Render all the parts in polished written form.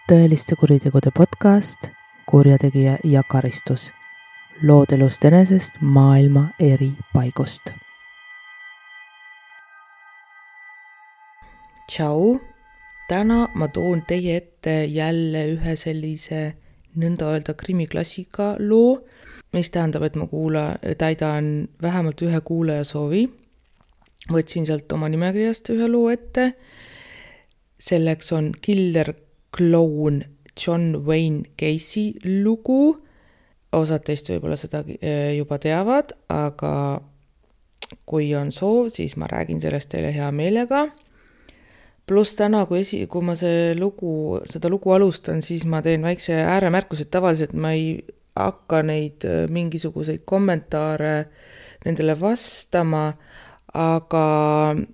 tõeliste kuritegude podcast Kurjategija ja karistus. Lood elust enesest maailma eri paigust. Tšau! Täna ma toon teie ette jälle ühe sellise nõnda öelda krimiklassika loo, mis tähendab, et ma täidan vähemalt ühe kuulaja soovi. Võtsin sealt oma nimekirjast ühe loo ette. Selleks on Killer Clown John Wayne Gacy lugu. Osad teist võib-olla seda juba teavad, aga kui on soov, siis ma räägin sellest teile hea meelega. Pluss täna, kui ma seda lugu alustan, siis ma teen väikse ääremärkused. Tavaliselt ma ei hakka neid mingisuguseid kommentaare nendele vastama, aga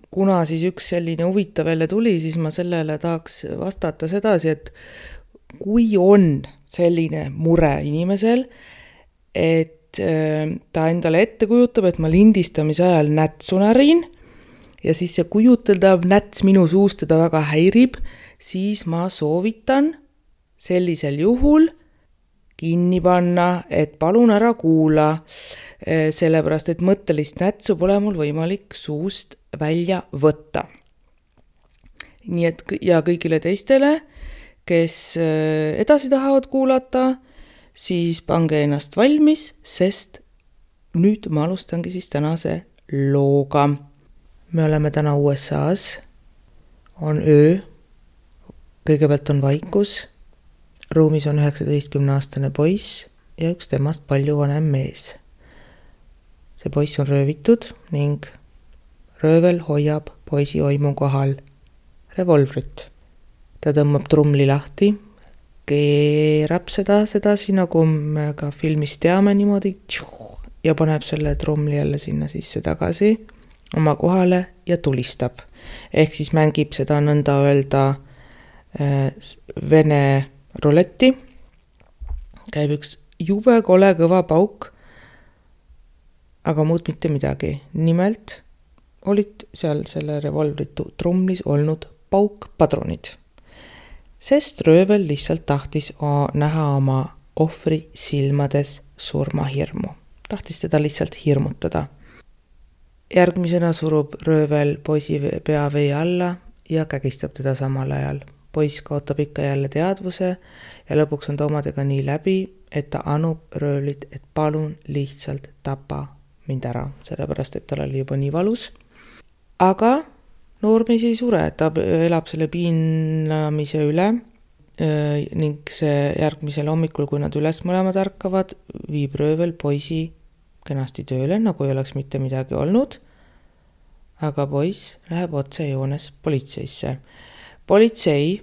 kuna siis üks selline huvitav jälle tuli, siis ma sellele tahaks vastata sedasi, et kui on selline mure inimesel, et ta endale ette kujutab, et ma lindistamise ajal nätsu närin, ja siis see kujuteldav näts minu suust teda väga häirib, siis ma soovitan sellisel juhul kinni panna, et palun ära kuula, sellepärast, et mõttelist nätsu pole mul võimalik suust välja võtta. Nii et ja kõigile teistele, kes edasi tahavad kuulata, siis pange ennast valmis, sest nüüd ma alustangi siis tänase looga. Me oleme täna USA-s, on öö, kõigepealt on vaikus, ruumis on 19-aastane poiss ja üks temast palju vanem mees. See poiss on röövitud ning röövel hoiab poisi oimu kohal revolvrit. Ta tõmbab trumli lahti, keerab seda nagu me ka filmis teame niimoodi ja paneb selle trumli jälle sinna sisse tagasi oma kohale ja tulistab. Ehk siis mängib seda nõnda öelda vene ruletti. Käib üks jube kole kõva pauk, aga muud mitte midagi. Nimelt olid seal selle revolvritu trumlis olnud paukpadrunid. Sest röövel lihtsalt tahtis näha oma ohvri silmades surmahirmu. Tahtis teda lihtsalt hirmutada. Järgmisena surub röövel poisi pea vee alla ja kägistab teda samal ajal. Poiss kaotab ikka jälle teadvuse ja lõpuks on ta omadega nii läbi, et ta anub röövlit, et palun lihtsalt tapa mind ära, sellepärast, et tal oli juba nii valus. Aga noormees ei sure, ta elab selle piinamise üle ning see järgmisel hommikul, kui nad üles mõlemad ärkavad, viib röövel poisi kenasti tööle, nagu ei oleks mitte midagi olnud, aga poiss läheb otse joones politseisse. Politsei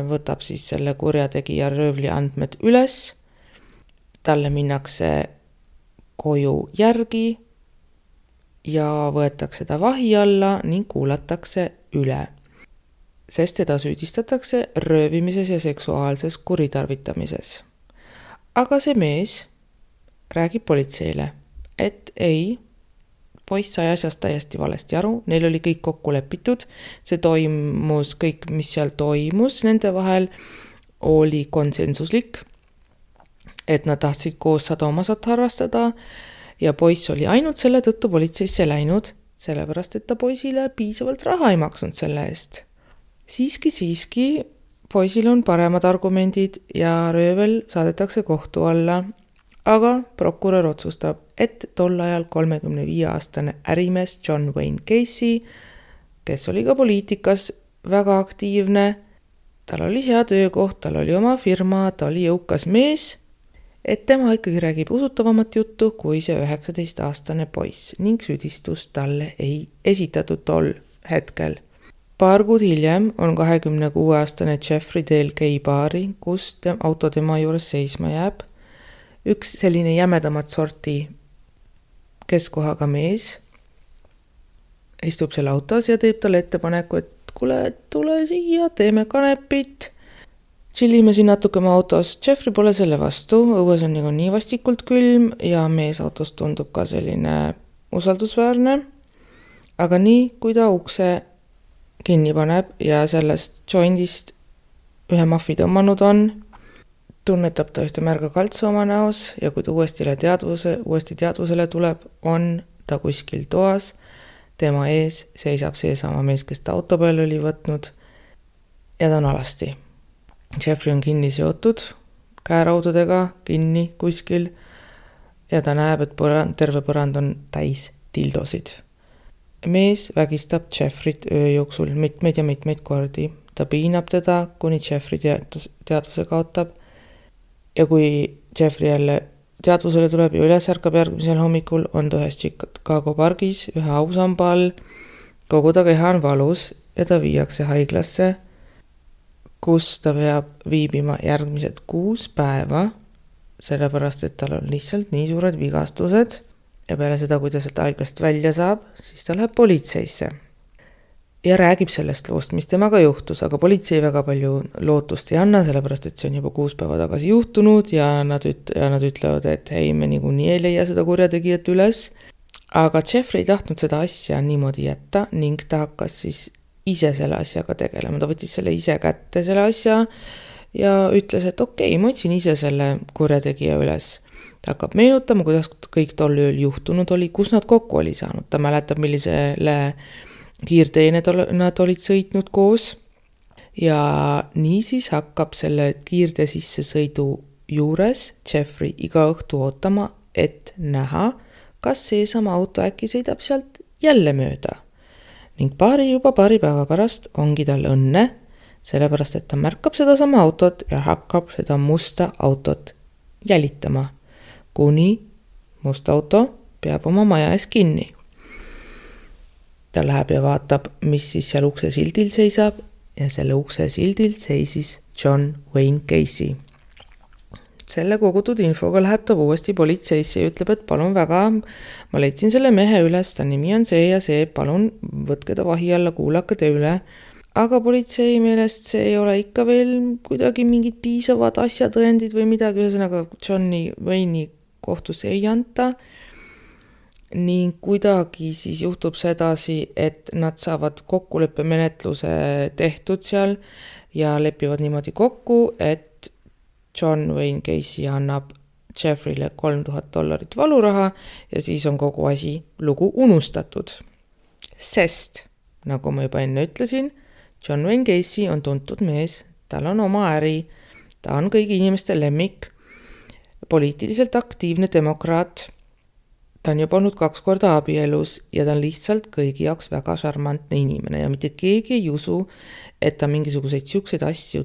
võtab siis selle kurjategija röövli andmed üles, talle minnakse koju järgi ja võetakse ta vahi alla ning kuulatakse üle, sest teda süüdistatakse röövimises ja seksuaalses kuritarvitamises. Aga see mees räägib politseile, et ei, poiss sai asjast täiesti valesti aru, neil oli kõik kokku lepitud, see toimus kõik, mis seal toimus, nende vahel oli konsensuslik, et nad tahtsid koos sadomasat harrastada ja poiss oli ainult selle tõttu politseisse läinud, sellepärast, et ta poisile piisavalt raha ei maksnud selle eest. Siiski, poisil on paremad argumendid ja röövel saadetakse kohtu alla. Aga prokurör otsustab, et tol ajal 35-aastane ärimees John Wayne Gacy, kes oli ka poliitikas väga aktiivne, tal oli hea töökoht, tal oli oma firma, ta oli jõukas mees, et tema ikkagi räägib usutavamat juttu kui see 19-aastane poiss ning süüdistust talle ei esitatud tol hetkel. Paar kuud hiljem on 26-aastane Jeffrey Dale Gay baari, kus auto tema juures seisma jääb. Üks selline jämedamat sorti keskkohaga mees istub seal autos ja teeb talle ettepaneku, et kuule, tule siia, teeme kanepit. Chillime siin natuke oma autos. Jeffrey pole selle vastu, õues on nii vastikult külm ja mees autos tundub ka selline usaldusväärne. Aga nii, kui ta ukse kinni paneb ja sellest jointist ühe mahvi tõmmanud on, tunnetab ta ühte märga kaltsu oma näos ja kui ta uuesti teadvusele tuleb, on ta kuskil toas, tema ees seisab seesama mees, kes ta auto peal oli võtnud ja ta on alasti. Jeffrey on kinni seotud, käeraudadega kinni kuskil ja ta näeb, et terve põrand on täis dildosid. Mees vägistab Jeffreyt öö jooksul mitmeid ja mitmeid kordi. Ta piinab teda, kuni Jeffrey teadvuse kaotab ja kui Jeffrey jälle teadvusele tuleb ja üles ärkab järgmisel hommikul, on ta ühes Chicago pargis ühe ausamba all, kogu ta keha on valus ja ta viiakse haiglasse, kus ta peab viibima järgmised 6 päeva, sellepärast et tal on lihtsalt nii suured vigastused ja peale seda, kui ta sealt haiglast välja saab, siis ta läheb politseisse ja räägib sellest loost, mis temaga juhtus, aga politsei väga palju lootust ei anna, sellepärast et see on juba 6 päeva tagasi juhtunud ja nad ütlevad, et hei, me niikuinii ei leia seda kurjategijat üles. Aga Jeffrey ei tahtnud seda asja niimoodi jätta ning ta hakkas siis ise selle asjaga tegelema. Ta võttis selle ise kätte selle asja ja ütles, et okei, ma otsin ise selle kurjategija üles. Ta hakkab meenutama, kuidas kõik tol ööl juhtunud oli, kus nad kokku oli saanud. Ta mäletab, millisele kiirteene nad olid sõitnud koos ja niisiis hakkab selle kiirtee sissesõidu juures Jeffrey iga õhtu ootama, et näha, kas seesama auto äkki sõidab sealt jälle mööda. Ning juba paari päeva pärast ongi tal õnne, sellepärast et ta märkab seda sama autot ja hakkab seda musta autot jälitama, kuni must auto peab oma maja ees kinni. Ta läheb ja vaatab, mis siis seal ukse sildil seisab ja selle ukse sildil seisis John Wayne Gacy. Selle kogutud infoga läheb ta uuesti politseisse ja ütleb, et palun väga, ma leidsin selle mehe üles, ta nimi on see ja see, palun võtke ta vahi alla, kuulake te üle. Aga politsei meelest see ei ole ikka veel kuidagi mingid piisavad asjatõendid või midagi, ühesõnaga Johnny Wayne'i kohtusse ei anta. Ning kuidagi siis juhtub sedasi, et nad saavad kokkuleppemenetluse tehtud seal ja lepivad niimoodi kokku, et John Wayne Gacy annab Jeffreyle $3000 valuraha ja siis on kogu lugu unustatud. Sest, nagu ma juba enne ütlesin, John Wayne Gacy on tuntud mees, tal on oma äri, ta on kõigi inimeste lemmik, poliitiliselt aktiivne demokraat. Ta on juba olnud 2 korda abielus ja ta on lihtsalt kõigi jaoks väga šarmantne inimene ja mitte keegi ei usu, et ta mingisuguseid siukseid asju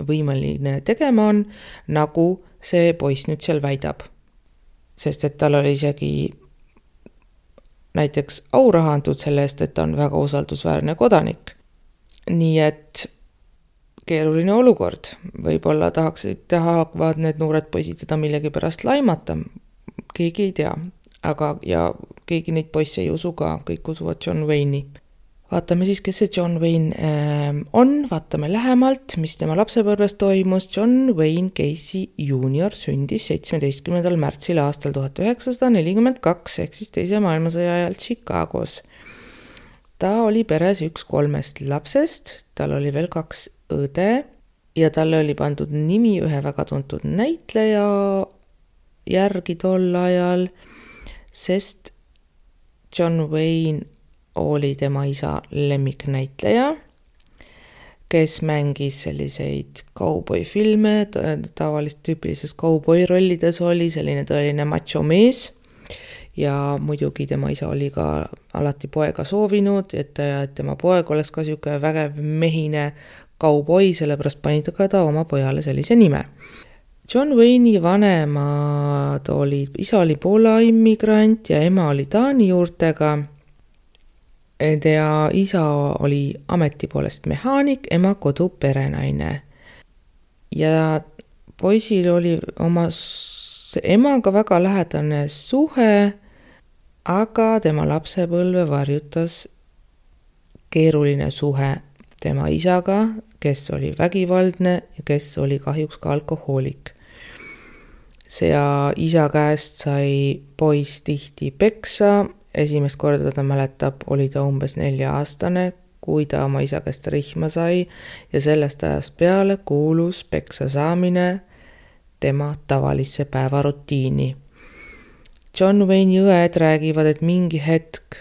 võimeline tegema on, nagu see poiss nüüd seal väidab. Sest et tal oli isegi näiteks auraha antud selle eest, et ta on väga usaldusväärne kodanik. Nii et keeruline olukord. Võib-olla tahavad need noored poisid teda millegi pärast laimata. Keegi ei tea. Aga ja keegi neid poisse ei usu ka, kõik usuvad John Wayne'i. Vaatame siis, kes see John Wayne on, vaatame lähemalt, mis tema lapsepõlves toimus. John Wayne Gacy Jr. sündis 17. märtsil aastal 1942, ehk siis teise maailmasõja ajal Chicagos. Ta oli peres 1 3 lapsest, tal oli veel 2 õde ja talle oli pandud nimi ühe väga tuntud näitleja järgi tol ajal, sest John Wayne oli tema isa lemmiknäitleja, kes mängis selliseid kauboifilme, tavaliselt tüüpilises kauboi rollides oli selline tõeline macho mees ja muidugi tema isa oli ka alati poega soovinud, et tema poeg oleks ka siuke vägev mehine kauboi, sellepärast pani ta oma pojale sellise nime. John Wayne'i vanemad olid, isa oli Poola immigrant ja ema oli Taani juurtega. Ja isa oli ameti poolest mehaanik, ema koduperenaine. Ja poisil oli oma emaga väga lähedane suhe, aga tema lapsepõlve varjutas keeruline suhe tema isaga, kes oli vägivaldne ja kes oli kahjuks ka alkohoolik. See isa käest sai poiss tihti peksa, esimest korda ta mäletab, oli ta umbes 4-aastane, kui ta oma isa käest rihma sai ja sellest ajast peale kuulus peksa saamine tema tavalisse päevarutiini. John Wayne'i õed räägivad, et mingi hetk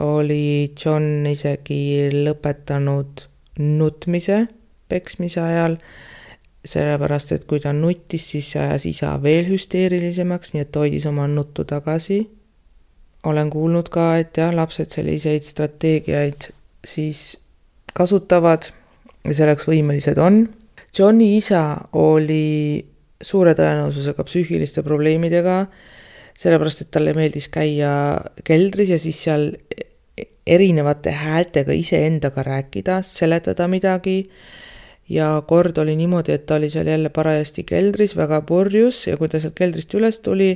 oli John isegi lõpetanud nutmise peksmise ajal, sellepärast, et kui ta nuttis, siis see ajas isa veel hüsteerilisemaks, nii et hoidis oma nuttu tagasi. Olen kuulnud ka, et lapsed selliseid strateegiaid siis kasutavad ja selleks võimelised on. Johni isa oli suure tõenäosusega psüühiliste probleemidega, sellepärast, et talle meeldis käia keldris ja siis seal erinevate häältega iseendaga rääkida, seletada midagi. Ja kord oli niimoodi, et ta oli seal jälle parajasti keldris, väga purjus ja kui ta sealt keldrist üles tuli,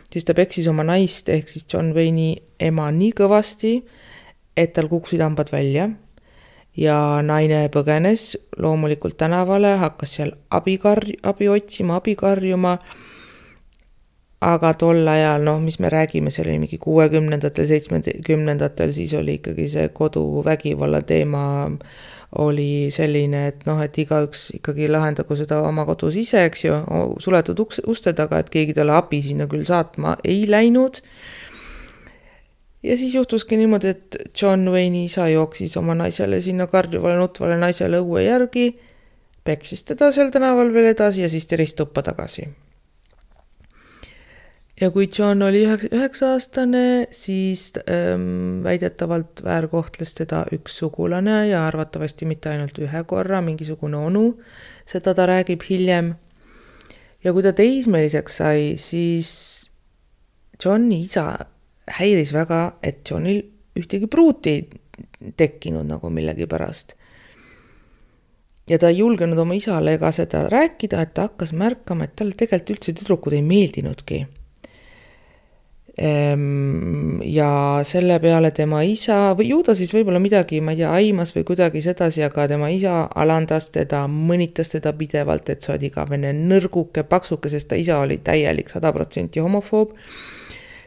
siis ta peksis oma naist ehk siis John Wayne'i ema nii kõvasti, et tal kukkusid hambad välja. Ja naine põgenes loomulikult tänavale, hakkas seal abi otsima, abi karjuma. Aga tol ajal, mis me räägime, see oli mingi 60-ndatel, 70-ndatel, siis oli ikkagi see koduvägivalla teema oli selline, et igaüks ikkagi lahendagu seda oma kodus ise, eks ju, suletud uste taga, et keegi talle abi sinna küll saatma ei läinud. Ja siis juhtuski niimoodi, et John Wayne'i isa jooksis oma naisele sinna karjuvale nutvale naisele õue järgi, peksis teda seal tänaval veel edasi ja siis teris tuppa tagasi. Ja kui John oli 9-aastane, siis väidetavalt väärkohtles teda üks sugulane ja arvatavasti mitte ainult ühe korra, mingisugune onu, seda ta räägib hiljem. Ja kui ta teismeliseks sai, siis Johni isa häiris väga, et Johnil ühtegi pruuti ei tekkinud nagu millegi pärast. Ja ta ei julgenud oma isale ega seda rääkida, et ta hakkas märkama, et talle tegelikult üldse tüdrukud ei meeldinudki. Ja selle peale tema isa, või ju ta siis võib-olla midagi, ma ei tea, aimas või kuidagi sedasi, aga tema isa alandas teda, mõnitas teda pidevalt, et sa oled igavene nõrguke, paksuke, sest ta isa oli täielik 100% homofoob.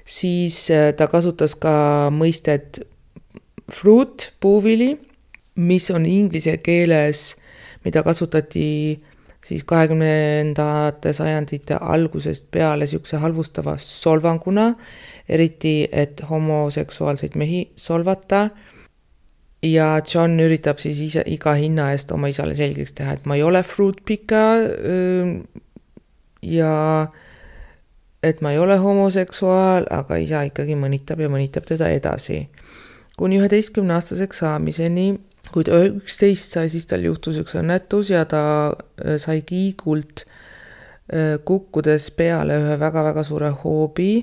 Siis ta kasutas ka mõistet fruit, puuvili, mis on inglise keeles, mida kasutati siis 20. sajandite algusest peale siukse halvustava solvanguna, eriti et homoseksuaalseid mehi solvata. Ja John üritab siis ise iga hinna eest oma isale selgeks teha, et ma ei ole fruit pika ja et ma ei ole homoseksuaal, aga isa ikkagi mõnitab teda edasi. Kuni 11-aastaseks saamiseni, kui ta 11 sai, siis tal juhtus üks õnnetus ja ta sai kiigult kukkudes peale ühe väga-väga suure hoobi,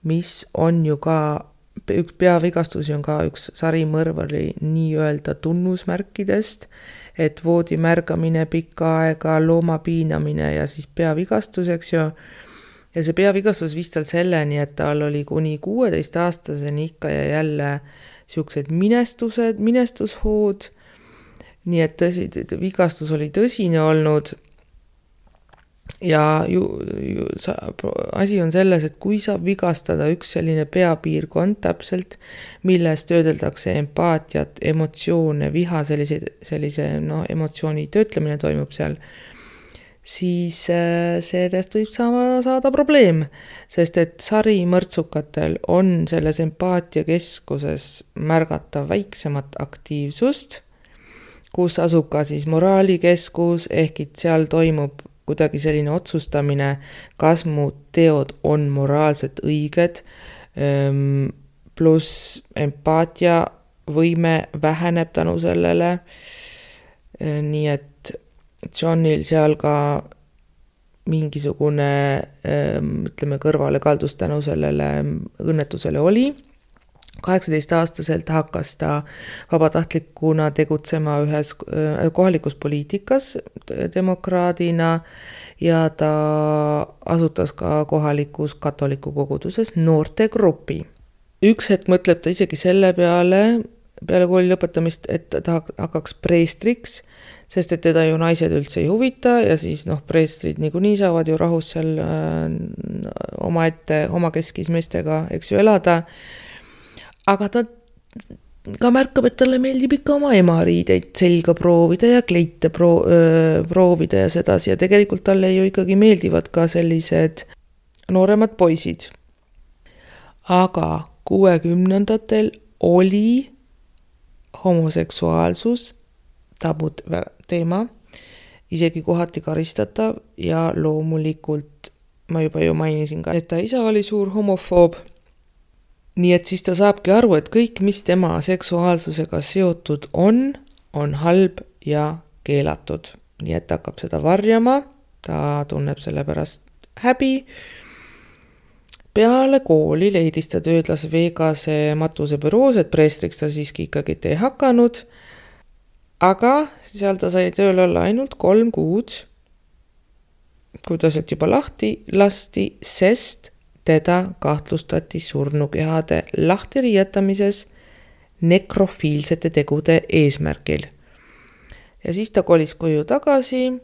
mis on ju ka, üks peavigastusi on ka üks sarimõrvari nii-öelda tunnusmärkidest, et voodi märgamine pikka aega, looma piinamine ja siis peavigastuseks ju. Ja see peavigastus viis tal selleni, et tal oli kuni 16-aastaseni ikka ja jälle siuksed minestushood, nii et vigastus oli tõsine olnud ja asi on selles, et kui saab vigastada üks selline peapiirkond täpselt, milles töödeldakse empaatiat, emotsioone, viha, sellise emotsiooni töötlemine toimub seal, siis sellest võib saada probleem, sest et sarimõrtsukatel on selles empaatiakeskuses märgata väiksemat aktiivsust, kus asub ka siis moraalikeskus, ehk et seal toimub kuidagi selline otsustamine, kas mu teod on moraalselt õiged, pluss empaatia võime väheneb tänu sellele, nii et Johnil seal ka mingisugune, kõrvale kaldus tänu sellele õnnetusele oli. 18-aastaselt hakkas ta vabatahtlikuna tegutsema ühes kohalikus poliitikas demokraadina ja ta asutas ka kohalikus katoliku koguduses noortegrupi. Üks hetk mõtleb ta isegi selle peale kooli lõpetamist, et ta hakkaks preestriks, sest et teda ju naised üldse ei huvita ja siis preestrid niikuinii saavad ju rahus seal oma keskis meestega, eks ju, elada. Aga ta ka märkab, et talle meeldib ikka oma ema riideid selga proovida ja kleite proovida ja sedasi. Ja tegelikult talle ju ikkagi meeldivad ka sellised nooremad poisid. Aga 60-ndatel oli homoseksuaalsus tabud teema, isegi kohati karistatav ja loomulikult ma juba ju mainisin ka, et ta isa oli suur homofoob. Nii et siis ta saabki aru, et kõik, mis tema seksuaalsusega seotud on halb ja keelatud. Nii et ta hakkab seda varjama, ta tunneb selle pärast häbi. Peale kooli leidis ta tööd Las Vegase matusebüroos, et preestriks ta siiski ikkagi ei hakanud. Aga seal ta sai tööl olla ainult 3 kuud, kui ta sealt juba lahti lasti, sest teda kahtlustati surnukehade lahtiriietamises nekrofiilsete tegude eesmärgil. Ja siis ta kolis koju tagasi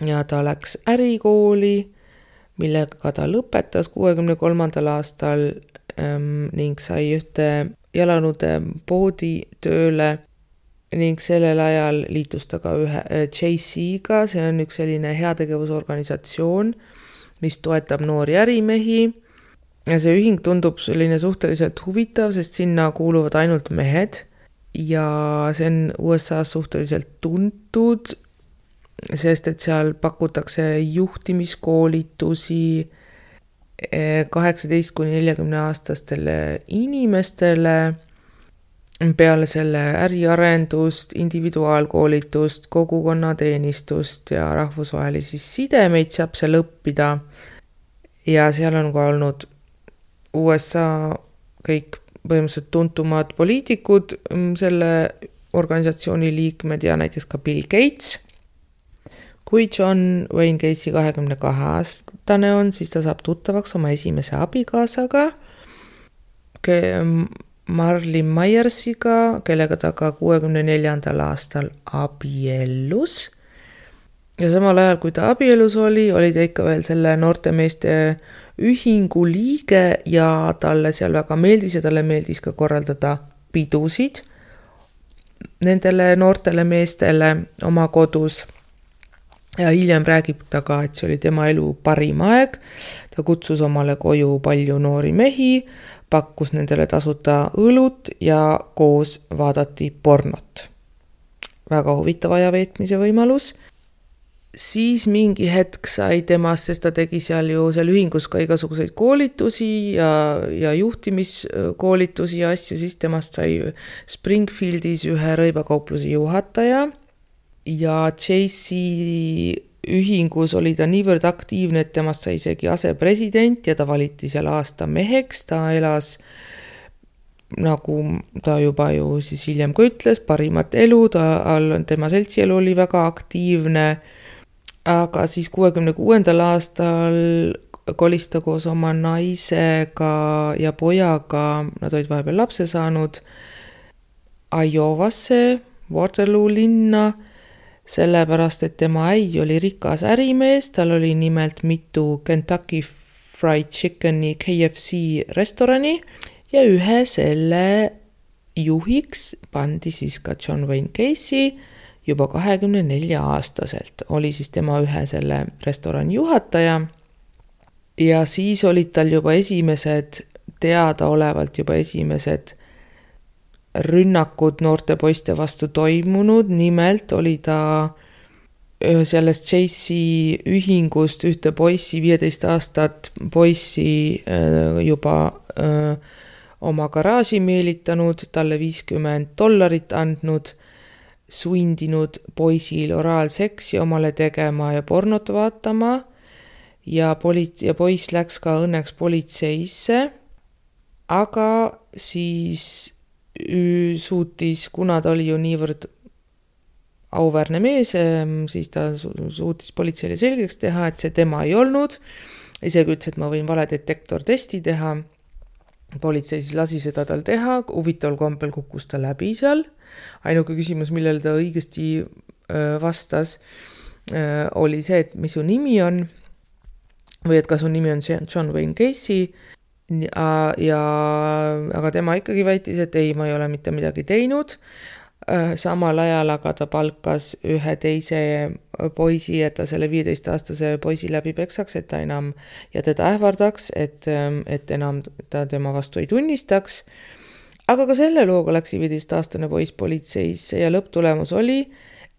ja ta läks ärikooli, millega ta lõpetas 63. aastal ning sai ühte jalanude poodi tööle ning sellel ajal liitus ta ka ühe JC-ga, see on üks selline heategevusorganisatsioon, mis toetab noori ärimehi. Ja see ühing tundub selline suhteliselt huvitav, sest sinna kuuluvad ainult mehed ja see on USA suhteliselt tuntud, sest et seal pakutakse juhtimiskoolitusi 18–40 aastastele inimestele, peale selle äriarendust, individuaalkoolitust, kogukonnateenistust ja rahvusvahelisi sidemeid saab seal õppida. Ja seal on ka olnud USA kõik põhimõtteliselt tuntumad poliitikud, selle organisatsiooni liikmed ja näiteks ka Bill Gates. Kui John Wayne Gacy 22-aastane on, siis ta saab tuttavaks oma esimese abikaasaga, Marley Myersiga, kellega ta ka 64. aastal abiellus. Ja samal ajal, kui ta abielus oli ta ikka veel selle noortemeeste ühingu liige ja talle seal väga meeldis ja talle meeldis ka korraldada pidusid nendele noortele meestele oma kodus. Ja hiljem räägib ta ka, et see oli tema elu parim aeg. Ta kutsus omale koju palju noori mehi, pakkus nendele tasuta õlut ja koos vaadati pornot. Väga huvitav ajaveetmise võimalus. Siis mingi hetk sai temast, sest ta tegi seal ühingus ka igasuguseid koolitusi ja juhtimiskoolitusi ja asju, siis temast sai Springfieldis ühe rõivakaupluse juhataja. Ja JC ühingus oli ta niivõrd aktiivne, et temast sai isegi asepresident ja ta valiti seal aasta meheks. Ta elas, nagu ta juba ju siis hiljem ka ütles, parimat elu, tema seltsielu oli väga aktiivne. Aga siis 66. aastal kolis ta koos oma naisega ja pojaga, nad olid vahepeal lapse saanud, Iowasse, Waterloo linna, sellepärast, et tema äi oli rikas ärimees, tal oli nimelt mitu Kentucky Fried Chickeni KFC restorani ja ühe selle juhiks pandi siis ka John Wayne Gacy juba 24-aastaselt. Oli siis tema ühe selle restorani juhataja ja siis olid tal juba teadaolevalt esimesed rünnakud noorte poiste vastu toimunud. Nimelt oli ta sellest JC ühingust ühte poissi, 15 aastat poissi juba oma garaaži meelitanud, talle $50 andnud, sundinud poisil oraalseksi omale tegema ja pornot vaatama ja poiss läks ka õnneks politseisse, aga siis suutis, kuna ta oli ju niivõrd auväärne mees, siis ta suutis politseile selgeks teha, et see tema ei olnud. Isegi ütles, et ma võin valedetektortesti teha. Politsei siis lasi seda tal teha, huvitaval kombel kukkus ta läbi seal. Ainuke küsimus, millele ta õigesti vastas, oli see, et mis su nimi on või et kas su nimi on John Wayne Gacy. aga tema ikkagi väitis, et ei, ma ei ole mitte midagi teinud. Samal ajal aga ta palkas ühe teise poisi, et ta selle 15-aastase poisi läbi peksaks, et ta enam ja teda ähvardaks, et enam ta tema vastu ei tunnistaks. Aga ka selle looga läks 15-aastane poiss politseisse ja lõpptulemus oli,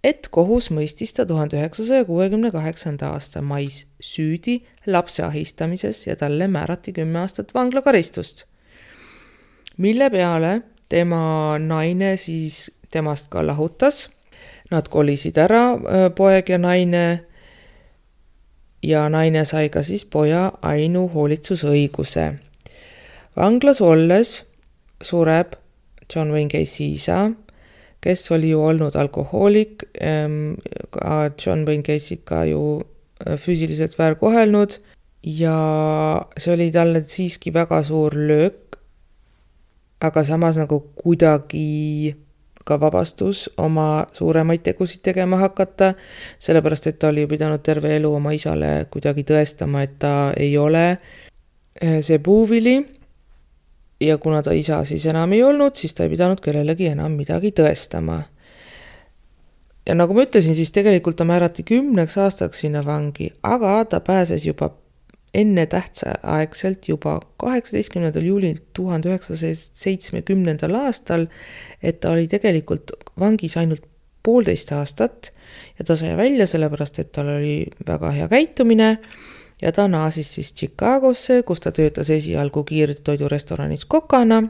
et kohus mõistis ta 1968. aasta mais süüdi lapse ahistamises ja talle määrati 10 aastat vanglakaristust. Mille peale tema naine siis temast ka lahutas. Nad kolisid ära, poeg ja naine sai ka siis poja ainuhoolitsusõiguse. Vanglas olles sureb John Wayne Gacy isa, kes oli ju olnud alkohoolik, John Wayne Gacy't ka ju füüsiliselt väärkohelnud ja see oli talle siiski väga suur löök, aga samas nagu kuidagi ka vabastus oma suuremaid tegusid tegema hakata, sellepärast et ta oli ju pidanud terve elu oma isale kuidagi tõestama, et ta ei ole see puuvili. Ja kuna ta isa siis enam ei olnud, siis ta ei pidanud kellelegi enam midagi tõestama. Ja nagu ma ütlesin, siis tegelikult ta määrati 10 aastaks sinna vangi, aga ta pääses juba enne tähtsaaegselt juba 18. juulil 1970. aastal, et ta oli tegelikult vangis ainult 1,5 aastat ja ta sai välja sellepärast, et tal oli väga hea käitumine. Ja ta naasis siis Chicagosse, kus ta töötas esialgu kiirtoidurestoranis kokana.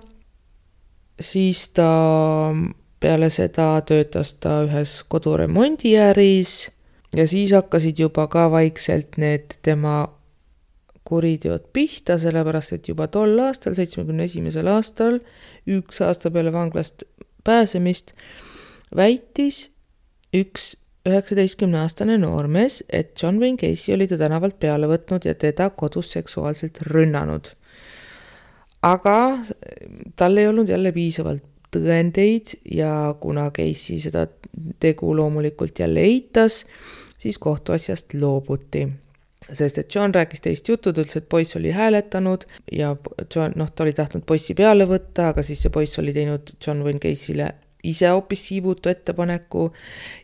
Siis ta peale seda töötas ta ühes koduremondiäris ja siis hakkasid juba ka vaikselt need tema kuriteod pihta, sellepärast et juba tol aastal, 71. aastal, 1 aasta peale vanglast pääsemist, väitis üks 19-aastane noormees, et John Wayne Gacy oli ta tänavalt peale võtnud ja teda kodus seksuaalselt rünnanud. Aga tal ei olnud jälle piisavalt tõendeid ja kuna Gacy seda tegu loomulikult jälle eitas, siis kohtuasjast loobuti. Sest et John rääkis teist juttu, ütles, et poiss oli hääletanud ja John, ta oli tahtnud poissi peale võtta, aga siis see poiss oli teinud John Wayne Gacy'le ise hoopis siivutu ettepaneku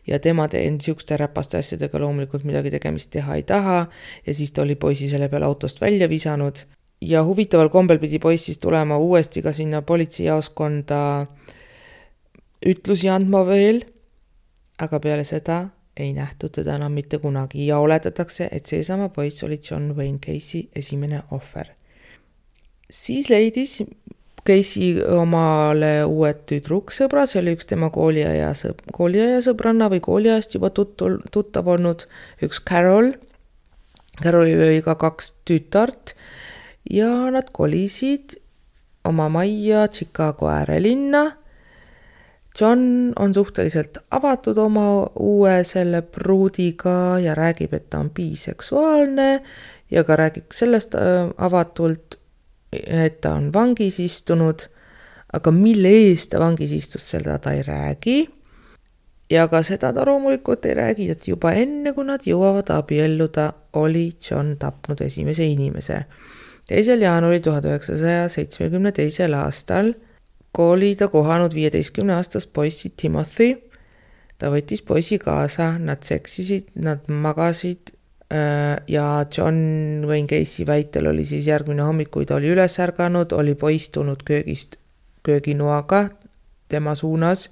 ja tema niisuguste räpaste asjadega loomulikult midagi tegemist teha ei taha ja siis ta oli poisi selle peale autost välja visanud ja huvitaval kombel pidi poiss siis tulema uuesti ka sinna politseijaoskonda ütlusi andma veel, aga peale seda ei nähtud teda enam mitte kunagi ja oletatakse, et seesama poiss oli John Wayne Gacy esimene ohver. Siis leidis Gacy omale uued tüdruksõbra, see oli üks tema kooliaja sõbranna või kooliajast juba tuttav olnud, üks Carol. Carolil oli ka 2 tütart ja nad kolisid oma majja Chicago äärelinna. John on suhteliselt avatud oma uue selle pruudiga ja räägib, et ta on biseksuaalne ja ka räägib sellest avatult, et ta on vangis istunud, aga mille eest ta vangis istus, seda ta ei räägi. Ja ka seda ta loomulikult ei räägi, et juba enne, kui nad jõuavad abielluda, oli John tapnud esimese inimese. 2. jaanuaril 1972. aastal oli ta kohanud 15-aastast poissi Timothy. Ta võttis poisi kaasa, nad seksisid, nad magasid ja John Wayne Gacy väitel oli siis järgmine hommik, kui ta oli üles ärganud, oli poiss tulnud köögist kööginoaga tema suunas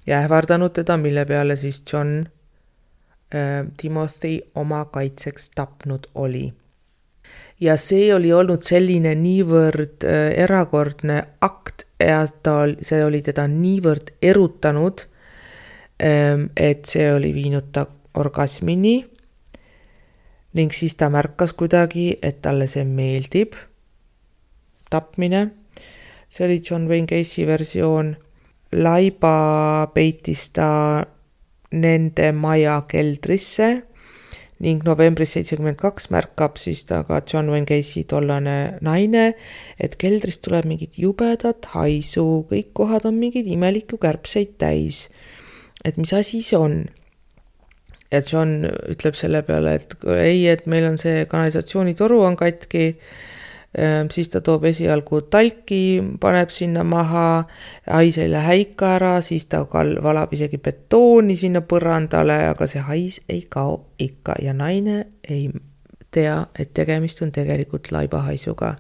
ja ähvardanud teda, mille peale siis John Timothy oma kaitseks tapnud oli. Ja see oli olnud selline niivõrd erakordne akt ja see oli teda niivõrd erutanud, et see oli viinud ta orgasmini ning siis ta märkas kuidagi, et talle see meeldib, tapmine. See oli John Wayne Gacy versioon. Laiba peitis ta nende maja keldrisse ning novembris 72 märkab siis ta ka John Wayne Gacy tollane naine, et keldrist tuleb mingit jubedat haisu, kõik kohad on mingid imeliku kärbseid täis. Et mis asi see on? Ja John ütleb selle peale, et ei, et meil on see kanalisatsioonitoru on katki, Siis ta toob esialgu talki, paneb sinna maha, hais ei lähe ikka ära, siis ta valab isegi betooni sinna põrandale, aga see hais ei kao ikka ja naine ei tea, et tegemist on tegelikult laibahaisuga.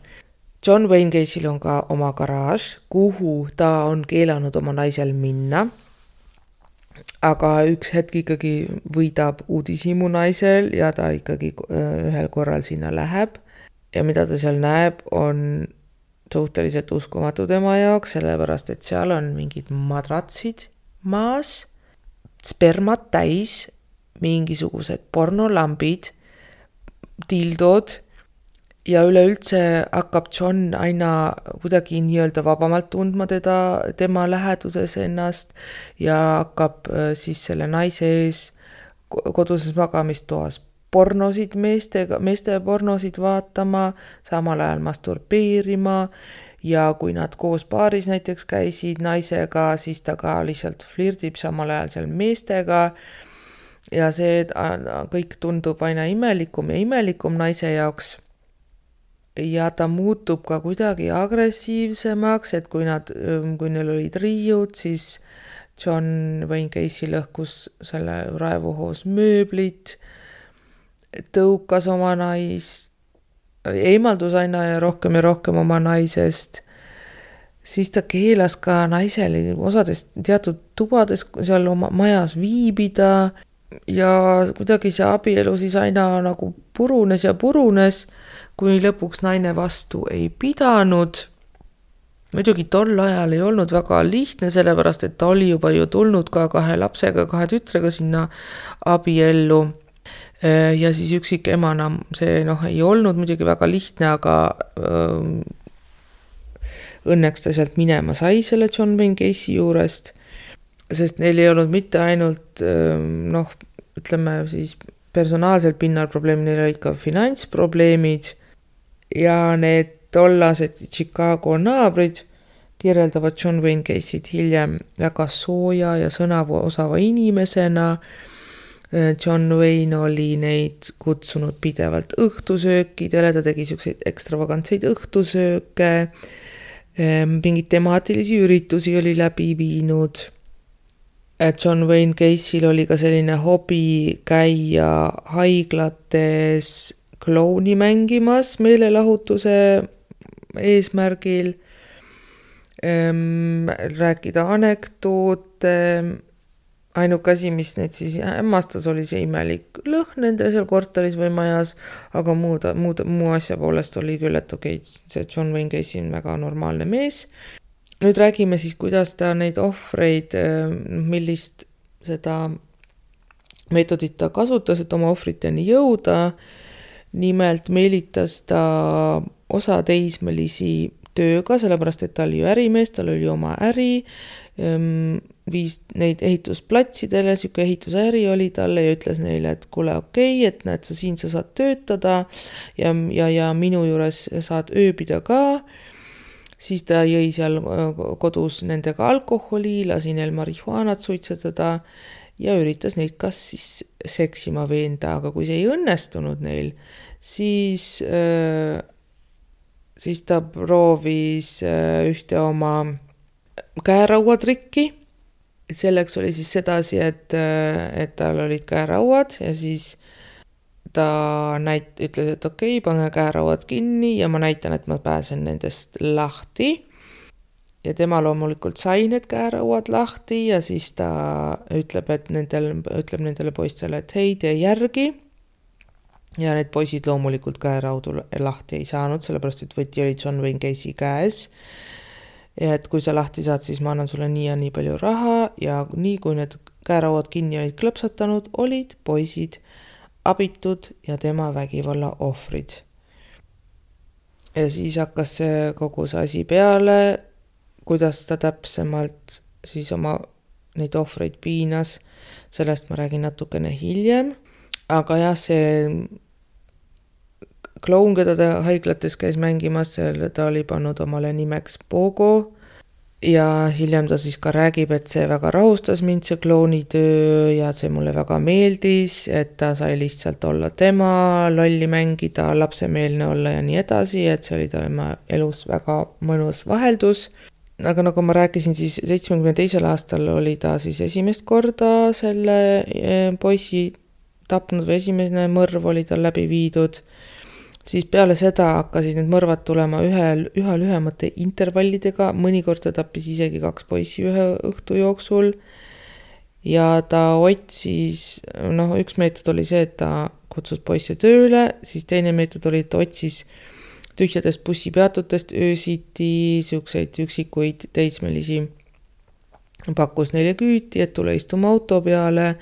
John Wayne Gacy'l on ka oma garaaž, kuhu ta on keelanud oma naisel minna. Aga üks hetk ikkagi võidab uudishimu naisel ja ta ikkagi ühel korral sinna läheb. Ja mida ta seal näeb, on suhteliselt uskumatu tema jaoks, sellepärast et seal on mingid madratsid maas, spermat täis, mingisugused pornolambid, dildod ja üleüldse hakkab John aina kuidagi nii-öelda vabamalt tundma tema läheduses ennast ja hakkab siis selle naise ees koduses magamistoas pornosid, meeste pornosid vaatama, samal ajal masturbeerima ja kui nad koos paaris näiteks käisid naisega, siis ta ka lihtsalt flirdib samal ajal seal meestega ja see kõik tundub aina imelikum ja imelikum naise jaoks. Ja ta muutub ka kuidagi agressiivsemaks, et kui neil olid riiud, siis John Wayne Gacy lõhkus selle raevuhoos mööblit, tõukas oma naist, eemaldus aina ja rohkem oma naisest, siis ta keelas ka naisele osades teatud tubades seal oma majas viibida ja kuidagi see abielu siis aina nagu purunes, kui lõpuks naine vastu ei pidanud. Muidugi tol ajal ei olnud väga lihtne, sellepärast et ta oli juba ju tulnud ka 2 lapsega, 2 tütrega sinna abiellu. Ja siis üksik emana see ei olnud muidugi väga lihtne, aga õnneks ta sealt minema sai selle John Wayne Gacy juurest, sest neil ei olnud mitte ainult ütleme siis personaalsel pinnal probleemid, neil olid ka finantsprobleemid ja need tollased Chicago naabrid kirjeldavad John Wayne Gacy't hiljem väga sooja ja sõnaosava inimesena. John Wayne oli neid kutsunud pidevalt õhtusöökidele, ta tegi selliseid ekstravagantseid õhtusööke, mingid temaatilisi üritusi oli läbi viinud. John Wayne Gacy'l oli ka selline hobi käia haiglates klouni mängimas meelelahutuse eesmärgil, rääkida anekdoote. Ainuke asi, mis neid siis hämmastas, oli see imelik lõhn nende seal korteris või majas, aga muu asja poolest oli küll, et okei, see John Wayne Gacy on väga normaalne mees. Nüüd räägime siis, kuidas ta neid ohvreid, millist seda meetodit ta kasutas, et oma ohvriteni jõuda. Nimelt meelitas ta osa teismelisi tööga, sellepärast et ta oli ju ärimees, tal oli oma äri, viis neid ehitusplatsidele, siuke ehitusäri oli talle ja ütles neile, et kuule okei, et näed sa siin sa saad töötada ja minu juures saad ööbida ka. Siis ta jõi seal kodus nendega alkoholi, lasi neil marihuanat suitsetada ja üritas neid kas siis seksima veenda, aga kui see ei õnnestunud neil, siis ta proovis ühte oma käerauatrikki. Selleks oli siis sedasi, et tal olid käerauad ja siis ta ütles, et okei, pange käerauad kinni ja ma näitan, et ma pääsen nendest lahti. Ja tema loomulikult sai need käerauad lahti ja siis ta ütleb nendele poistele, et hei, tee järgi. Ja need poisid loomulikult käeraudu lahti ei saanud, sellepärast et võti oli John Wayne Gacy käes. Ja et kui sa lahti saad, siis ma annan sulle nii ja nii palju raha ja nii kui need käerauad kinni olid klõpsatanud, olid poisid abitud ja tema vägivalla ohvrid. Ja siis hakkas kogu see asi peale, kuidas ta täpsemalt siis oma neid ohvreid piinas, sellest ma räägin natukene hiljem. Aga jah, see kloun, keda ta haiglates käis mängimas, ta oli pannud omale nimeks Pogo ja hiljem ta siis ka räägib, et see väga rahustas mind, see kloonitöö, ja see mulle väga meeldis, et ta sai lihtsalt olla tema, lolli mängida, lapsemeelne olla ja nii edasi, et see oli tema elus väga mõnus vaheldus. Aga nagu ma rääkisin, siis 72. aastal oli ta siis esimest korda selle poisi tapnud või esimene mõrv oli tal läbi viidud. Siis peale seda hakkasid need mõrvad tulema üha lühemate intervallidega, mõnikord ta tappis isegi 2 poissi ühe õhtu jooksul ja ta otsis, üks meetod oli see, et ta kutsus poisse tööle, siis teine meetod oli, et ta otsis tühjadest bussipeatutest öösiti siukseid üksikuid teismelisi, pakkus neile küüti, et tule istuma auto peale.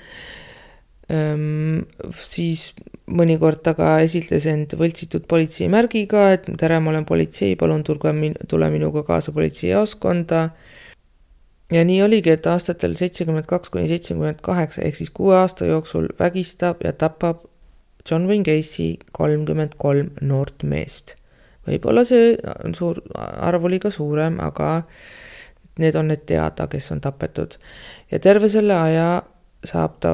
Siis mõnikord taga esitles end võltsitud politseimärgiga, et tere, ma olen politsei, palun tule minuga kaasa politseijaoskonda. Ja nii oligi, et aastatel 72–78 ehk siis 6 aasta jooksul vägistab ja tapab John Wayne Gacy 33 noort meest. Võib-olla see arv oli ka suurem, aga need on need teada, kes on tapetud. Ja terve selle aja saab ta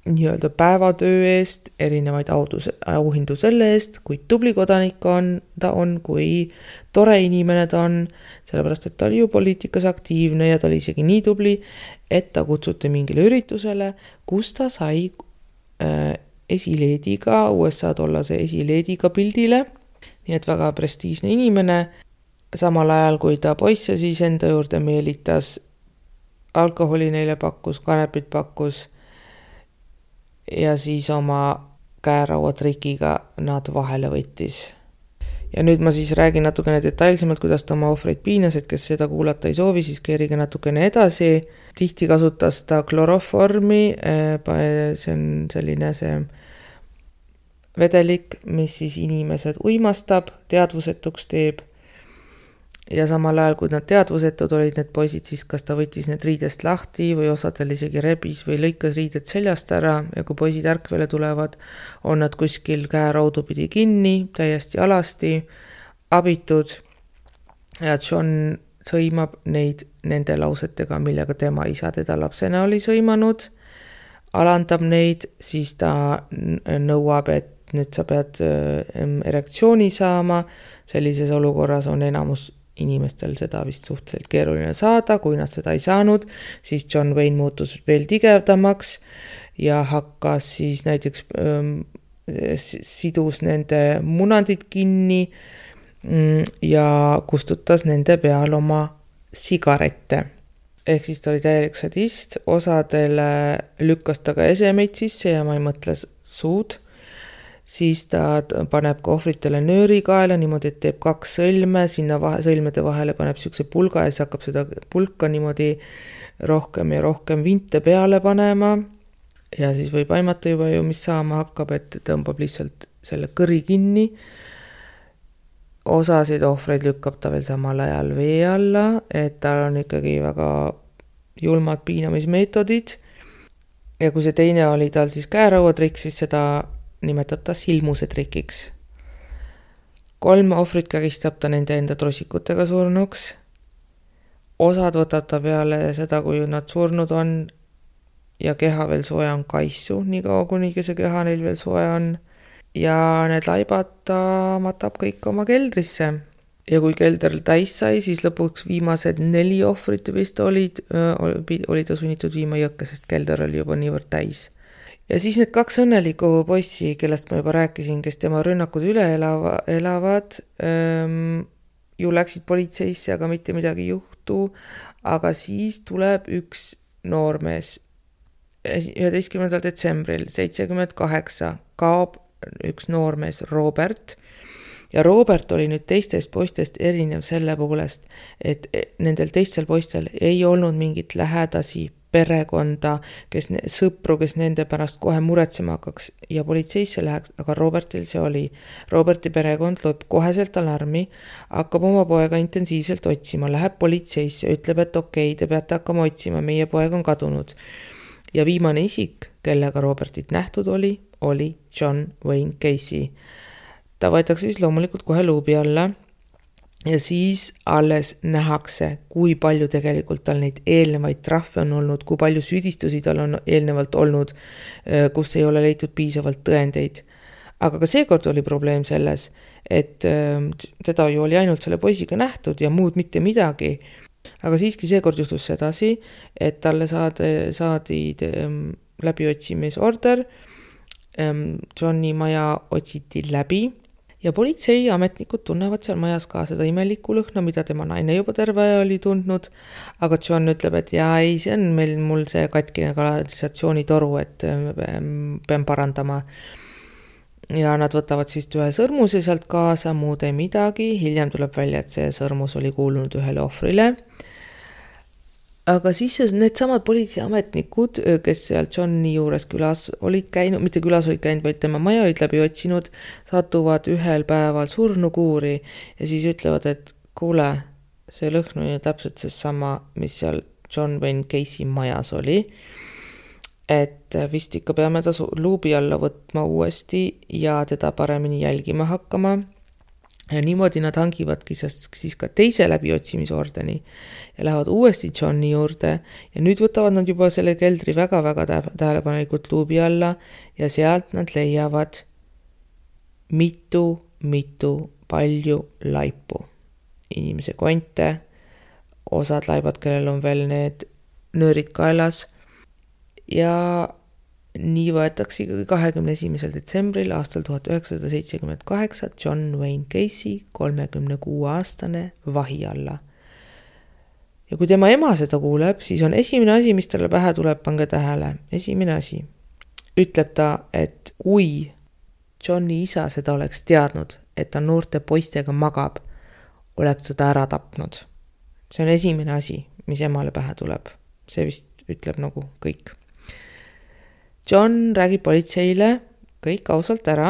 nii-öelda päevatöö eest erinevaid auhindu selle eest, kui tubli kodanik ta on, kui tore inimene ta on, sellepärast, et ta oli ju poliitikas aktiivne ja ta oli isegi nii tubli, et ta kutsuti mingile üritusele, kus ta sai esileediga, USA tollase esileediga pildile, nii et väga prestiižne inimene, samal ajal kui ta poisse siis enda juurde meelitas, alkoholi neile pakkus, kanepit pakkus, ja siis oma käerauatrikiga nad vahele võttis. Ja nüüd ma siis räägin natukene detailsemalt, kuidas ta oma ohvreid piinas, et kes seda kuulata ei soovi, siis keerige natukene edasi. Tihti kasutas ta kloroformi, see on selline see vedelik, mis siis inimesed uimastab, teadvusetuks teeb. Ja samal ajal, kui nad teadvusetud olid need poisid, siis kas ta võttis need riidest lahti või osadel isegi rebis või lõikas riided seljast ära ja kui poisid ärkvele tulevad, on nad kuskil käeraudu pidi kinni, täiesti alasti, abitud ja John sõimab neid nende lausetega, millega tema isa teda lapsena oli sõimanud, alandab neid, siis ta nõuab, et nüüd sa pead erektsiooni saama, sellises olukorras on enamus inimestel seda vist suhteliselt keeruline saada, kui nad seda ei saanud, siis John Wayne muutus veel tigevdamaks ja hakkas siis näiteks sidus nende munandid kinni ja kustutas nende peal oma sigarette. Ehk siis ta oli täielik sadist, osadele lükkas ta ka esemeid sisse ja ma ei mõtle suud. Siis ta paneb ka ohvritele nööri kaela niimoodi, et teeb 2 sõlme, sinna sõlmede vahele paneb siukse pulga ja siis hakkab seda pulka niimoodi rohkem ja rohkem vinte peale panema. Ja siis võib aimata juba ju, mis saama hakkab, et tõmbab lihtsalt selle kõri kinni. Osasid ohvreid lükkab ta veel samal ajal vee alla, et tal on ikkagi väga julmad piinamismeetodid. Ja kui see teine oli tal siis käerauatrik, siis seda nimetab ta silmuse trikiks. 3 ohvrit kägistab ta nende enda trossikutega surnuks. Osad võtab ta peale seda, kui nad surnud on ja keha veel soe on kaissu, nii kaua kunigi see keha neil veel soe on. Ja need laibad ta matab kõik oma keldrisse. Ja kui kelder täis sai, siis lõpuks viimased 4 ohvrit vist oli ta sunnitud viima jõkke, sest kelder oli juba niivõrd täis. Ja siis need 2 õnnelikku poissi, kellest ma juba rääkisin, kes tema rünnakud üle elavad, ju läksid politseisse, aga mitte midagi juhtu, aga siis tuleb üks noormees 11. detsembril 78 kaob üks noormees Robert ja Robert oli nüüd teistest poistest erinev selle poolest, et nendel teistel poistel ei olnud mingit lähedasi perekonda, sõpru, kes nende pärast kohe muretsema hakkaks ja politseisse läheks, aga Robertil see oli. Roberti perekond lööb koheselt alarmi, hakkab oma poega intensiivselt otsima, läheb politseisse, ütleb, et okei, te peate hakkama otsima, meie poeg on kadunud. Ja viimane isik, kellega Robertit nähtud oli John Wayne Gacy. Ta võetakse siis loomulikult kohe luubi alla ja siis alles nähakse, kui palju tegelikult tal neid eelnevaid trahve on olnud, kui palju süüdistusi tal on eelnevalt olnud, kus ei ole leitud piisavalt tõendeid. Aga ka seekord oli probleem selles, et teda ju oli ainult selle poisiga nähtud ja muud mitte midagi. Aga siiski seekord juhtus sedasi, et talle saadi läbiotsimmisorder, Johni maja otsiti läbi ja politseiametnikud tunnevad seal majas ka seda imelikku lõhna, mida tema naine juba terve aja oli tundnud, aga John ütleb, et jaa, ei, see on mul see katkine kanalisatsioonitoru, et pean parandama. Ja nad võtavad siis ühe sõrmuse sealt kaasa, muud ei midagi, hiljem tuleb välja, et see sõrmus oli kuulunud ühele ohvrile. Aga siis need samad politseiametnikud, kes seal Johni juures külas olid käinud, mitte külas olid käinud, vaid tema maja olid läbi otsinud, satuvad ühel päeval surnukuuri ja siis ütlevad, et kuule, see lõhn on ju täpselt see sama, mis seal John Wayne Gacy majas oli. Et vist ikka peame ta luubi alla võtma uuesti ja teda paremini jälgima hakkama. Ja niimoodi nad hangivadki siis ka teise läbiotsimisordeni ja lähevad uuesti Johni juurde ja nüüd võtavad nad juba selle keldri väga-väga tähelepanelikult luubi alla ja sealt nad leiavad mitu palju laipu. Inimese konte, osad laibad, kellel on veel need nöörid kaelas ja nii võetakse 21. detsembril aastal 1978 John Wayne Gacy 36-aastane vahi alla. Ja kui tema ema seda kuuleb, siis on esimene asi, mis talle pähe tuleb, pange tähele. Esimene asi. Ütleb ta, et kui Johni isa seda oleks teadnud, et ta noorte poistega magab, oleks seda ära tapnud. See on esimene asi, mis emale pähe tuleb. See vist ütleb nagu kõik. John räägib politseile kõik ausalt ära,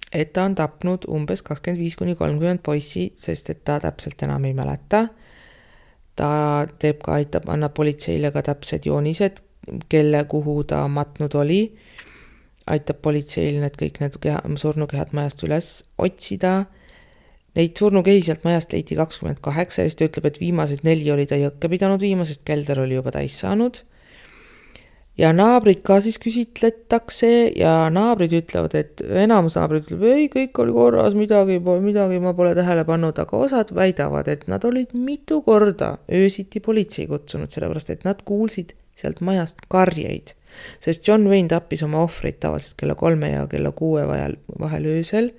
et ta on tapnud umbes 25-30 poissi, sest et ta täpselt enam ei mäleta. Ta teeb ka, annab politseile ka täpsed joonised, kelle kuhu ta matnud oli. Aitab politseil kõik need surnukehad majast üles otsida. Neid surnukehi sealt majast leiti 28 ja siis ta ütleb, et viimased 4 oli ta jõkke pidanud viima, sest kelder oli juba täis saanud. Ja naabrid ka siis küsitletakse ja naabrid ütlevad, et enamus naabrid ütleb, ei, kõik oli korras, midagi ma pole tähele pannud, aga osad väidavad, et nad olid mitu korda öösiti politsei kutsunud, sellepärast, et nad kuulsid sealt majast karjeid, sest John Wayne tappis oma ohvreid tavaliselt kella 3 ja kella 6 vahel öösel.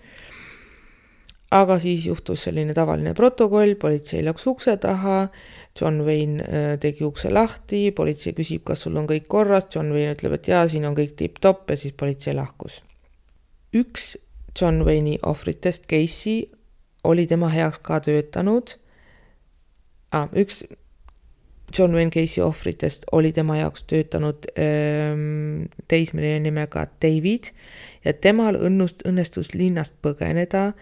Aga siis juhtus selline tavaline protokoll, politsei läks ukse taha, John Wayne tegi ukse lahti, politsei küsib, kas sul on kõik korras, John Wayne ütleb, et jaa, siin on kõik tipp-topp ja siis politsei lahkus. Üks John Wayne'i ohvritest, Gacy, oli tema heaks ka töötanud. Üks John Wayne Gacy ohvritest oli tema jaoks töötanud teismeline nimega David ja temal õnnestus linnast põgeneda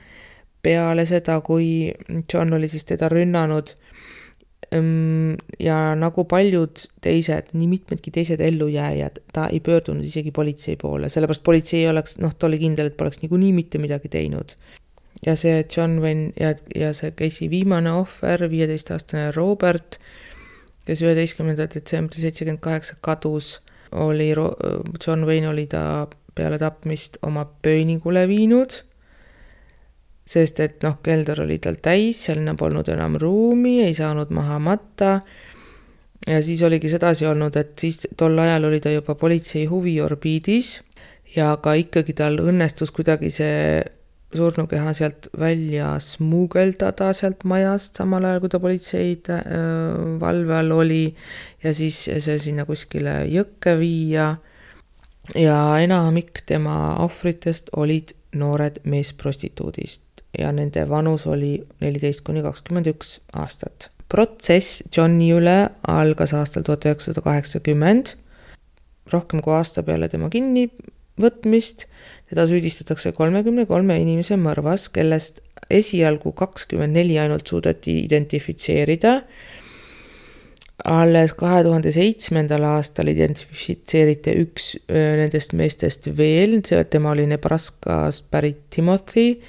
peale seda, kui John oli siis teda rünnanud ja nagu paljud teised, nii mitmedki teised ellujääjad, ta ei pöördunud isegi politsei poole, sellepärast politsei oleks, ta oli kindel, et poleks niikuinii mitte midagi teinud. Ja see John Wayne ja see Gacy viimane ohver, 15-aastane Robert, kes 11. detsembri 78 kadus, John Wayne oli ta peale tapmist oma pööningule viinud, sest et kelder oli tal täis, seal polnud enam ruumi, ei saanud maha matta ja siis oligi sedasi olnud, et siis tol ajal oli ta juba politsei huviorbiidis ja ka ikkagi tal õnnestus kuidagi see surnukeha sealt välja smuugeldada sealt majast, samal ajal kui ta politsei valve all oli ja siis see sinna kuskile jõkke viia ja enamik tema ohvritest olid noored meesprostituudist ja nende vanus oli 14-21 aastat. Protsess Johni üle algas aastal 1980, rohkem kui aasta peale tema kinnivõtmist. Teda süüdistatakse 33 inimese mõrvas, kellest esialgu 24 ainult suudeti identifitseerida. Alles 2007. aastal identifitseeriti üks nendest meestest veel, tema oli Nebraskast pärit Timothy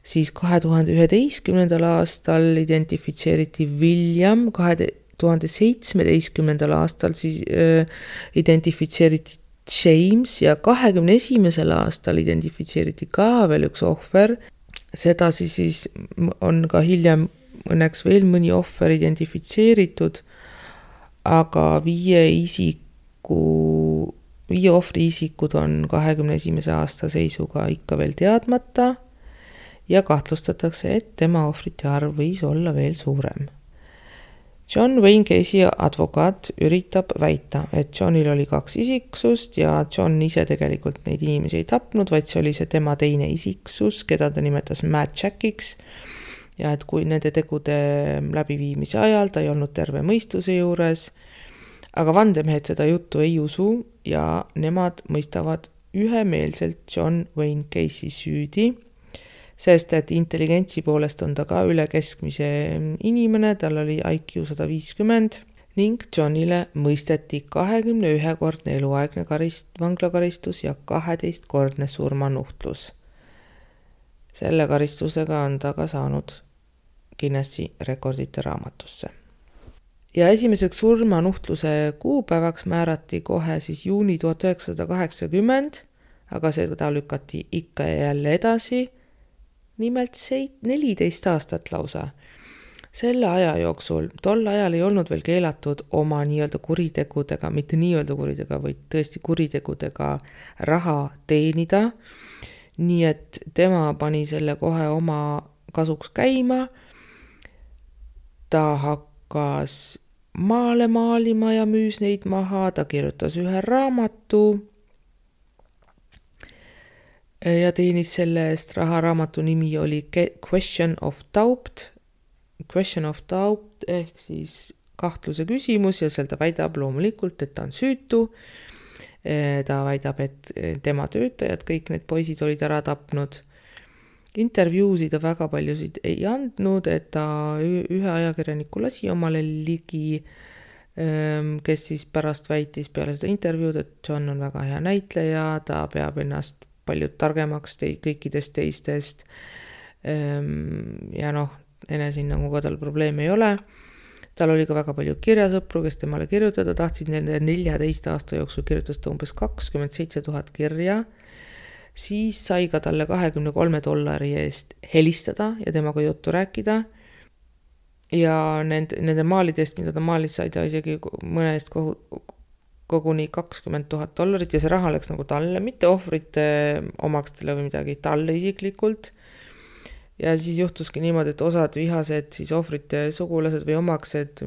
siis 2011. aastal identifitseeriti William, 2017. aastal siis identifitseeriti James ja 2021. aastal identifitseeriti ka veel üks ohver. Sedasi siis on ka hiljem õnneks veel mõni ohver identifitseeritud, aga 5 ohvri isikud on 2021. aasta seisuga ikka veel teadmata ja kahtlustatakse, et tema ohvrite arv võis olla veel suurem. John Wayne Casey advokaat üritab väita, et Johnil oli 2 isiksust ja John ise tegelikult neid inimesi ei tapnud, vaid see oli see tema teine isiksus, keda ta nimetas Mad Jackiks. Ja et kui nende tegude läbiviimise ajal ta ei olnud terve mõistuse juures, aga vandemehed seda juttu ei usu ja nemad mõistavad ühemeelselt John Wayne Casey süüdi, sest et intelligentsi poolest on ta ka üle keskmise inimene, tal oli IQ 150 ning Johnile mõisteti 21-kordne eluaegne vanglakaristus ja 12-kordne surmanuhtlus. Selle karistusega on ta ka saanud Guinessi rekordite raamatusse. Ja esimeseks surmanuhtluse kuupäevaks määrati kohe siis juuni 1980, aga seda lükati ikka ja jälle edasi, nimelt 14 aastat lausa. Selle aja jooksul, tol ajal ei olnud veel keelatud oma nii-öelda kuritegudega, mitte nii-öelda kuritegudega, vaid tõesti kuritegudega raha teenida, nii et tema pani selle kohe oma kasuks käima. Ta hakkas maale maalima ja müüs neid maha, ta kirjutas ühe raamatu ja teenis selle eest raha. Raamatu nimi oli Question of Doubt ehk siis kahtluse küsimus ja seal ta väidab loomulikult, et ta on süütu. Ta väidab, et tema töötajad, kõik need poisid olid ära tapnud. Intervjuusid ta väga paljusid ei andnud, et ta ühe ajakirjaniku lasi omale ligi, kes siis pärast väitis peale seda intervjuud, et John on väga hea näitleja, ta peab ennast palju targemaks kõikidest teistest ja enesehinnanguga tal probleeme ei ole. Tal oli ka väga palju kirjasõpru, kes temale kirjutada tahtsid, nende 14 aasta jooksul kirjutas ta umbes 27 000 kirja. Siis sai ka talle $23 eest helistada ja temaga juttu rääkida. Ja nende maalidest, mida ta maalis, sai ta isegi mõne eest koguni $20,000 ja see raha läks nagu talle, mitte ohvrite omakstele või midagi, talle isiklikult. Ja siis juhtuski niimoodi, et osad vihased siis ohvrite sugulased või omaksed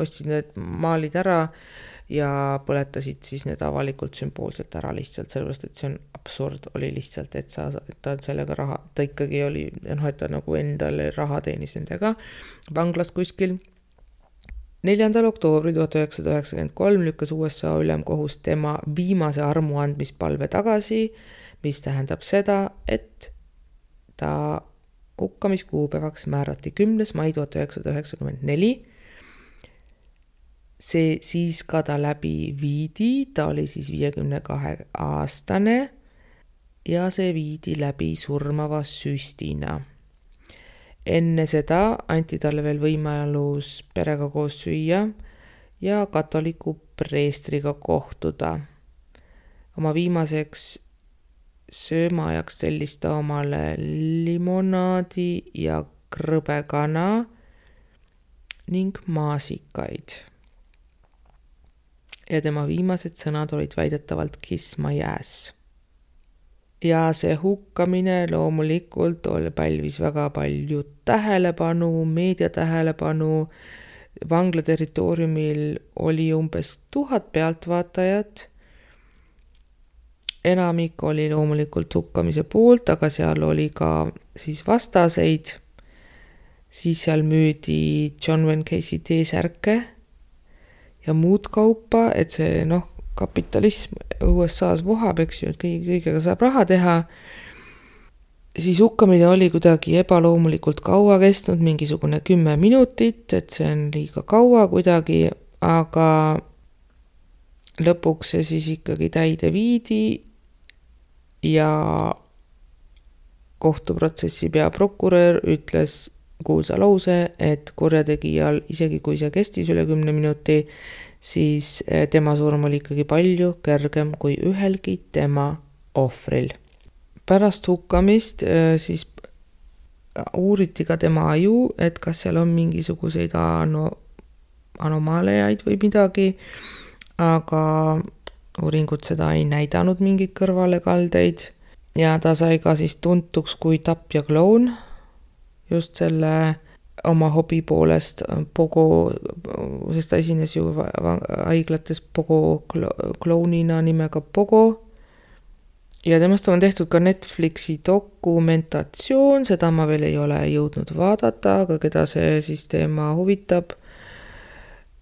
ostsid need maalid ära ja põletasid siis need avalikult sümboolselt ära lihtsalt, sellepärast, et see on absurd oli lihtsalt, et ta sellega raha, ta ikkagi oli, et ta nagu endale raha teenis nendega vanglas kuskil. 4. oktoobri 1993 lükkas USA ülemkohus tema viimase armuandmispalve tagasi, mis tähendab seda, et ta hukkamiskuupäevaks määrati 10. mai 1994. See siis ka ta läbi viidi, ta oli siis 52-aastane ja see viidi läbi surmava süstina. Enne seda anti talle veel võimalus perega koos süüa ja katoliku preestriga kohtuda. Oma viimaseks söömaajaks tellis ta omale limonaadi ja krõbekana ning maasikaid. Ja tema viimased sõnad olid väidetavalt kiss my ass. Ja see hukkamine loomulikult pälvis väga palju tähelepanu, meedia tähelepanu. Vangla territooriumil oli umbes 1000 pealtvaatajat. Enamik oli loomulikult hukkamise poolt, aga seal oli ka siis vastaseid. Siis seal müüdi John Wayne Casey T-särke ja muud kaupa, et see kapitalism USA-s vohab, eks ju, et kõigega saab raha teha. Siis hukkamine oli kuidagi ebaloomulikult kaua kestnud, mingisugune 10 minutit, et see on liiga kaua kuidagi, aga lõpuks see siis ikkagi täide viidi ja kohtuprotsessi peaprokurör ütles kuulsa lause, et kurjategijal, isegi kui see kestis üle 10 minuti, siis tema surm oli ikkagi palju kergem kui ühelgi tema ohvril. Pärast hukkamist siis uuriti ka tema aju, et kas seal on mingisuguseid anomaaliaid või midagi, aga uuringud seda ei näidanud mingeid kõrvalekaldeid ja ta sai ka siis tuntuks kui tapja kloun just selle oma hobi poolest Pogo, sest ta esines ju haiglates Pogo klounina nimega Pogo. Ja temast on tehtud ka Netflixi dokumentatsioon, seda ma veel ei ole jõudnud vaadata, aga keda see siis teema huvitab.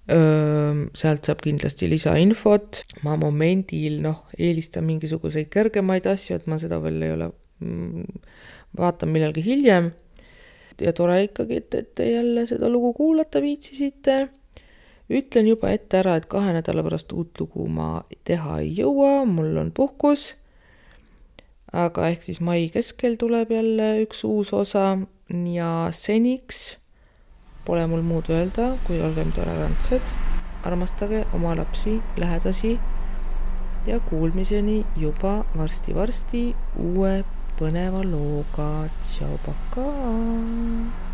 Sealt saab kindlasti lisainfot. Ma momendil eelistan mingisuguseid kergemaid asju, et ma seda veel ei ole, vaatan millalgi hiljem. Ja tore ikkagi, et jälle seda lugu kuulata viitsisite. Ütlen juba ette ära, et 2 nädala pärast uut lugu ma teha ei jõua, mul on puhkus. Aga ehk siis mai keskel tuleb jälle üks uus osa ja seniks pole mul muud öelda, kui olgem tolerantsed, armastage oma lapsi, lähedasi ja kuulmiseni juba varsti uue põneva looga. Tšau, pakaa!